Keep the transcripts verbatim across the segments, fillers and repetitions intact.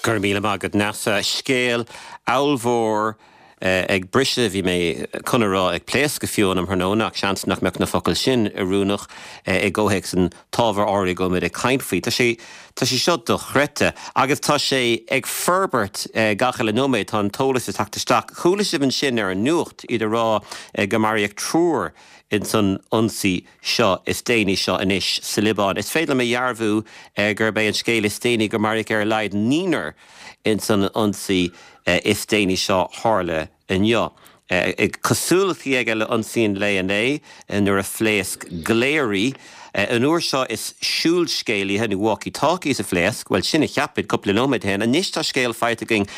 Go raibh míle maith agat Neasa scéal ollmhór ag briseadh bhí mé chun a rá ag pléascadh fiú an tráthnóna ach seans nach mbeadh na focail sin oiriúnach i gcomhthéacs an t-ábhar áirithe go mbeidh ag caint faoi. Tá sé Tá sé seo dochreidte agus tá sé ag forbairt gach uile nóiméad tá an t-eolas ag teacht isteach. Chuala sibh ansin ar an nuacht iad ag rá go maraíodh triúr in san ionsaí seo is déanaí seo anois sa Liobáin. Is féidir liom a dhearbhú gurb é an scéal is déanaí go maraíodh ar a laghad naonúr in san ionsaí is déanaí seo tharla inniu. Cosúlachtaí aige le ionsaí an lae inné nuair a phléasc glaoirí. An uair seo is siúlscéalaithe nó walkie-talkies a phléasc, well sin a cheap muid cúpla nóiméad ó shin. Anois tá scéal faighte againn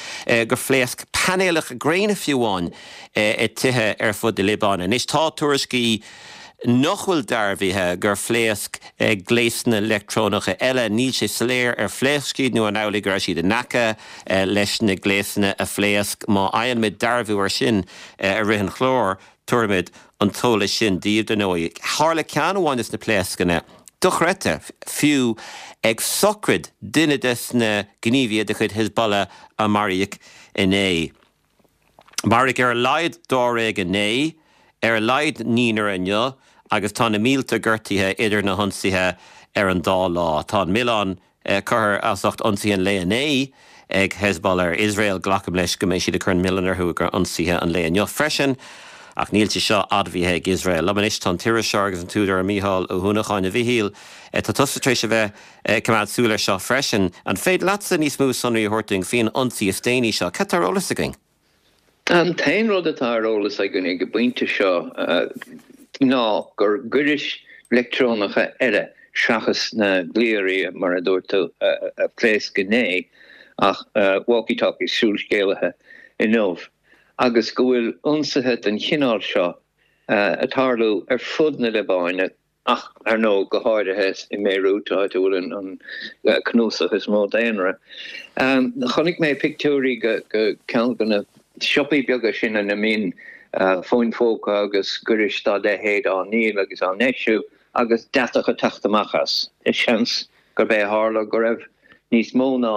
gur phléasc painéalacha gréine fiú amháin i tithe ar fud na Liobáine. Anois tá tuairiscí nach bhfuil dearbhaithe gur phléasc gléasanna leictreonacha eile, níl sé soiléir ar phléasc siad nó an amhlaidh go raibh siad in aice leis na gléasanna a phléasc. Má fhaigheann muid dearbhú ar sin i rith an chláir, tabharfaimid an t-eolas sin daoibh dar ndóigh. Tharla ceann amháin de na pléascanna dochreidte fiú ag sochraid duine des na gníomhaithe de chuid Hezbollah a maraíodh inné. Maraíodh ar a laghad dáréag inné, ar a laghad naonúr inniu agus tá na mílte gortaithe idir na hionsaithe ar an dá lá. Tá an milleán curtha as ucht ionsaithe an lae inné ag Hezbollah ar Iosrael glacaim leis go mbeidh siad ag cur an milleán orthu gur ionsaithe an lae inniu freisin. Ach níl sé seo admhaithe ag Iosrael. Liom anois tá an t-iriseoir agus an t-údar Mícheál Ó hUanacháin a Mhichíl Tá tusa tar éis a bheith coimeád súil ar seo freisin. An féidir leatsa níos mó sonraí a thabhairt dúinn faoin ionsaí is déanaí seo, Cad tá ar eolas againn? An t-aon rud atá ar eolas againn ag an bpointe seo ná gur gairis leictreonacha eile seachas na glaoirí mar a dúirt tú a phléasc inné ach walkie-talkies siúlscéalaithe inniu agus go bhfuil ionsaithe den chineál seo ag tarlú ar fud na Liobáine ach ar ndóigh go háirithe i mBeirut áit a bhfuil an cnuasach is mó daonra. Chonaic mé pictiúirí go ceann de na siopaí beaga sin ina mbíonn fóin phóca agus gairis dá leithéid á ndíol agus á ndeisiú agus deatach ag teacht amach as. Is seans gurb é a tharla go raibh níos mó ná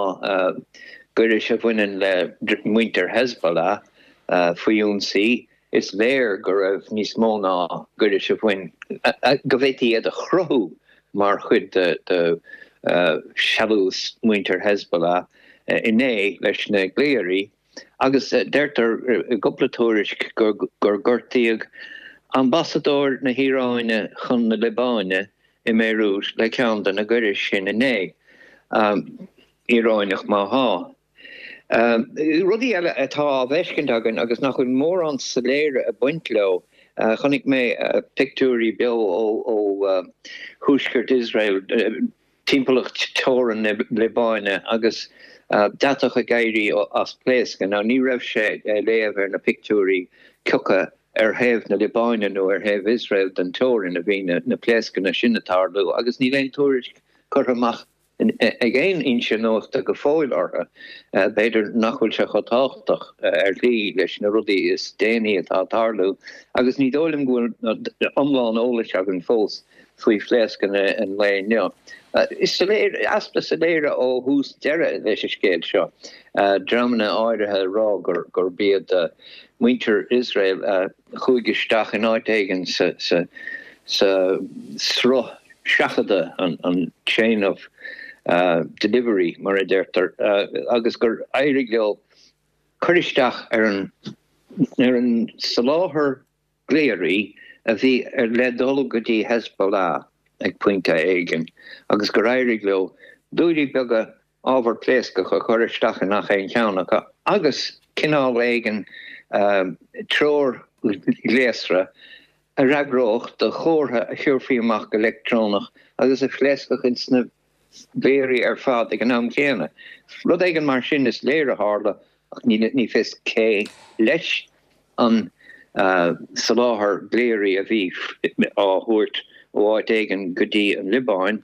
gairis a bhaineann le muintir Hezbollah faoi ionsaí. Is léir go raibh níos mó ná gairis a bhain go bhféadfaí iad a chruthú mar chuid de de sealús muintir Hezbollah inné leis na glaoirí agus deirtear i gcúpla tuairisc gur gur gortaíodh ambasadóir na hIaráine chun na Liobáine i mBeirut le ceann de na gairis sin inné. Um, Iaráineach má hea. Um, rudaí eile atá á bhfeiscint againn agus nach bhfuil mórán soiléire ag baint leo, uh, chonaic mé uh, pictiúirí beo ó ó uh, thuaisceart Iosrael uh, timpeallacht teorann na Liobáine agus uh, deatach ag éirí as pléascadh. Now ní raibh sé léamh ar na pictiúirí cé acu ar thaobh na Liobáine nó ar thaobh Iosrael den teorainn a bhí na, na pléascanna sin ag tarlú agus níl aon tuairisc curtha amach ag aon fhoinse nuachta go fóill orthu. B'fhéidir nach bhfuil sé chomh tábhachtach ar shlí leis na rudaí is déanaí atá ag tarlú, agus ní dóigh liom go bhfuil iomlán eolais againn fós faoi phléascanna an lae inniu. Is soiléir easpa soiléire ó thús deireadh leis an scéal seo. Dreamanna áirithe ag rá gur gurb iad muintir Iosrael a chuaigh isteach in áit éigin sa sa sa sruth seachadta an an chain of uh, delivery mar a deirtear uh, agus gur éirigh leo cur isteach ar an ar an soláthar glaoirí a bhí ar le dul go dtí Hezbollah ag pointe éigin agus gur éirigh leo dúilí beaga ábhar pléascach a chur isteach in gach aon cheann acu agus cineál éigin uh, treoirghléasra a fhreagródh do chomhartha a chuirfí amach go leictreonach agus a phléascfadh ins na glaoirí ar fad ag an am céanna. Rud éigin mar sin is léir a tharla ach ní ní fios cé leis an uh, soláthar glaoirí a bhí á thabhairt ó áit éigin go dtí an Liobáin,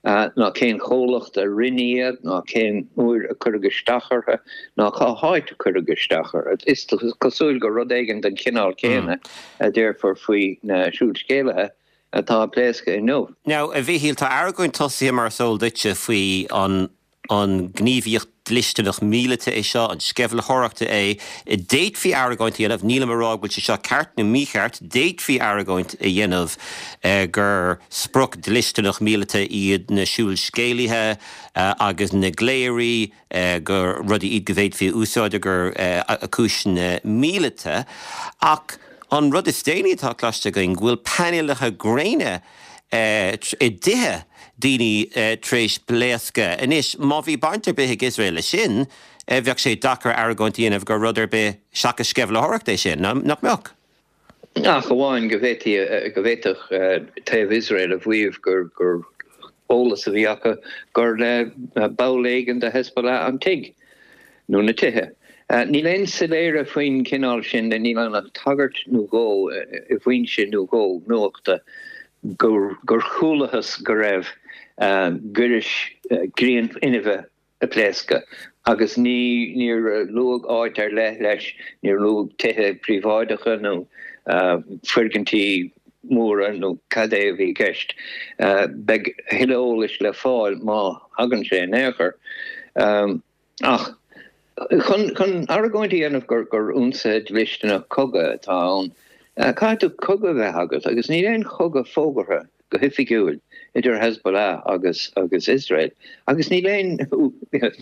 uh, ná cén chomhlacht a rinne iad, ná cén uair a cuireadh isteach orthu, ná cá háit a cuireadh isteach orthu. Is cosúil gur rud éigin den chineál céanna a déarfar faoi na siúlscéalaithe atá ag pléascadh inniu. Now a Mhichíl tá argóint tosaithe mar is eol duitse faoi an an gníomhaíocht dlisteanach míleata é seo, an sceimhlitheoireacht é, d'fhéadfaí argóint a dhéanamh, nílim ag rá go bhfuil sé seo ceart nó mícheart, d'fhéadfaí argóint a dhéanamh gur sprioc dlisteanach míleata iad na siúlscéalaithe agus na glaoirí, gur rudaí iad go bhféadfaí a úsáid ar chúiseanna míleata. Ach an rud is déanaí atá cloiste againn go bhfuil painéalacha gréine i dtithe daoine tar éis pléascadh. Anois, má bhí baint ar bith ag Iosrael leis sin, bheadh sé deacair argóint a dhéanamh gur rud ar bith seachas sceimhlitheoireacht é sin, nach mbeadh? Ach amháin go bhféadfaí, go bhféadfadh taobh Iosrael a mhaíomh gur gur eolas a bhí acu gur le ball éigin de Hezbollah an tigh nó na tithe. Níl aon soiléire faoin chineál sin de, níl ann ach tagairt nó dhó i bhfoinse nó dhó nuachta gur chualathas go raibh gairis grianfhuinnimhe ag pléascadh agus ní níor luadh áit ar leith leis, níor luadh tithe príobháideacha nó foirgintí móra nó cad é a bhí i gceist. Beidh a thuilleadh eolais le fáil má thagann sé in aon chor. Ach chun chun argóint a dhéanamh gur gur ionsaithe dlisteanach cogaidh atá ann, caithfidh tú cogadh a bheith agat agus níl aon chogadh fógartha go hoifigiúil idir Hezbollah agus agus Iosrael agus níl aon,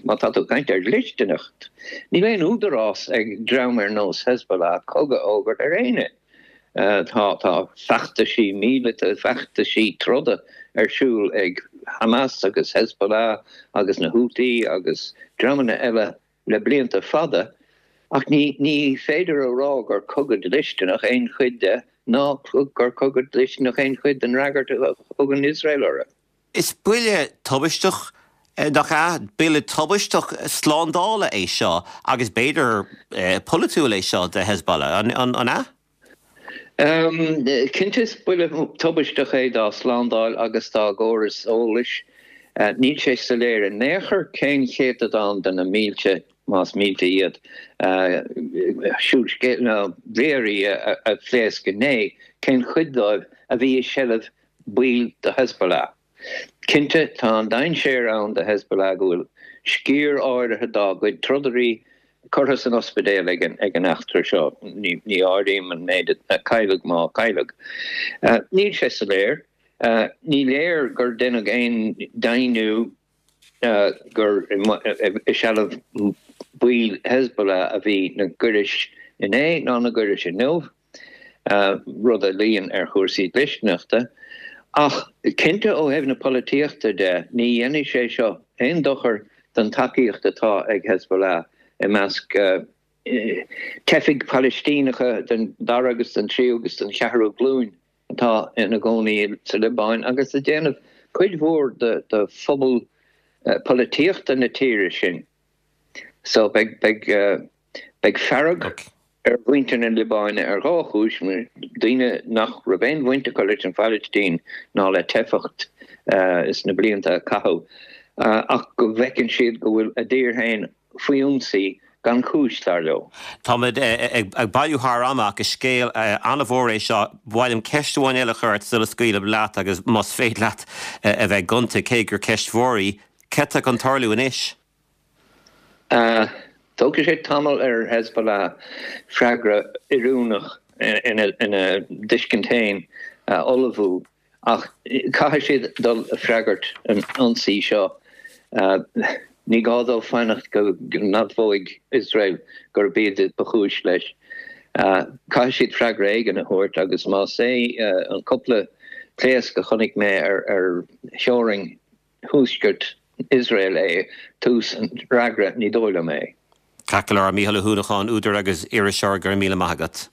má tá tú ag caint ar dhlisteanacht, níl aon údarás ag dream ar nós Hezbollah cogadh a fhógairt ar éinne. Tá tá feachtaisí míleata, feachtaisí troda ar siúl ag Hamas agus Hezbollah agus na Houthi agus dreamanna eile le blianta fada, ach ní ní féidir a rá gur cogadh dlisteanach aon chuid de ná gur cogadh dlisteanach aon chuid den fhreagairt a thugann Iosrael orthu. Is buille tubaisteach, nach ea? Buille tubaisteach slándála é seo agus b'fhéidir polaitiúil é seo do Hezbollah, an ea? Cinnte is buille tubaisteach é dá slándáil agus dá gcóras eolais. Níl sé soiléir in aon chor cén céatadán de na mílte, más mílte iad, siúlscéal nó glaoirí a phléasc inné, cén chuid dóibh a bhí i seilbh baill de Hezbollah. Cinnte tá an dainséar ann do Hezbollah go bhfuil sciar áirithe dá gcuid trodairí curtha san ospidéal ag an eachtra seo, ní áirím an méid a cailleadh má cailleadh. Níl sé soiléir. Ní léir gur deineadh aon deimhniú gur i seilbh baill Hezbollah a bhí na gairis inné ná na gairis inniu, rud a luíonn ar chúrsaí dlisteanachta. Ach cinnte ó thaobh na polaitíochta de, ní dhéanfaidh sé seo aon dochar don tacaíocht atá ag Hezbollah i measc teifigh Phalaistíneacha den dara agus den tríú agus den cheathrú glúin atá ina gcónaí sa Liobáin agus ag déanamh cuid mhór de phobal polaitíochta na tíre sin. So beidh beidh fearg ar mhuintir na Liobáine ar dhá chúis, daoine nach raibh aon bhaint acu leis an Phalaistín ná le teifeacht is na blianta a caitheadh, ach go bhfeiceann siad go bhfuil a dtír féin faoi ionsaí gan chúis, dar leo. Táimid ag bailiú thar am ach is scéal an-mhór é seo. Ba mhaith liom ceist amháin eile a chur ort sula scaoilim leat agus más féidir leat a bheith gonta, cé gur ceist mhór í, cad tá chun tarlú anois? Tógfaidh sé tamall ar Hezbollah freagra oiriúnach ina dtuiscint féin a ullmhú ach caithfidh siad dul ag freagairt an ionsaí seo. Ní gá dóibh fanacht go n-admhóidh Iosrael gurb iad ba chúis leis. Caithfidh siad freagra éigin a thabhairt agus más é an cúpla pléasc a chonaic mé ar theorainn thuaisceart Iosrael é tús an fhreagra, ní dóigh liom é. Ceart go leor, Mícheál Ó hUanacháin, údar agus iriseoir, go raibh míle maith agat.